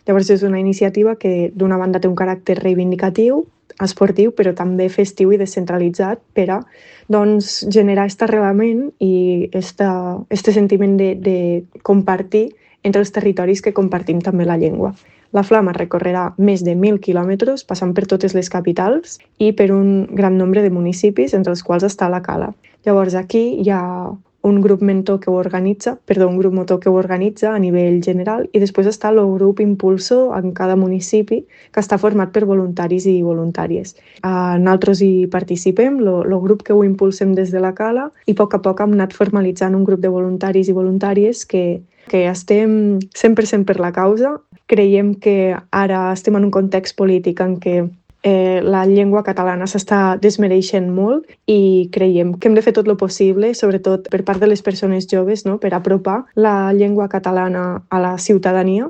Llavors és una iniciativa que d'una banda té un caràcter reivindicatiu, esportiu, però també festiu i descentralitzat per a generar aquest arrelament i este sentiment de compartir entre els territoris que compartim també la llengua. La Flama recorrerà més de 1.000 quilòmetres, passant per totes les capitals i per un gran nombre de municipis, entre els quals està la Cala. Llavors aquí hi ha un grup motor que ho organitza a nivell general i després està el grup impulsor en cada municipi que està format per voluntaris i voluntàries. Nosaltres hi participem, el grup que ho impulsem des de la Cala, i a poc hem anat formalitzant un grup de voluntaris i voluntàries que estem 100% per la causa. Creiem que ara estem en un context polític en què la llengua catalana s'està desmereixent molt i creiem que hem de fer tot el possible, sobretot per part de les persones joves, no?, per apropar la llengua catalana a la ciutadania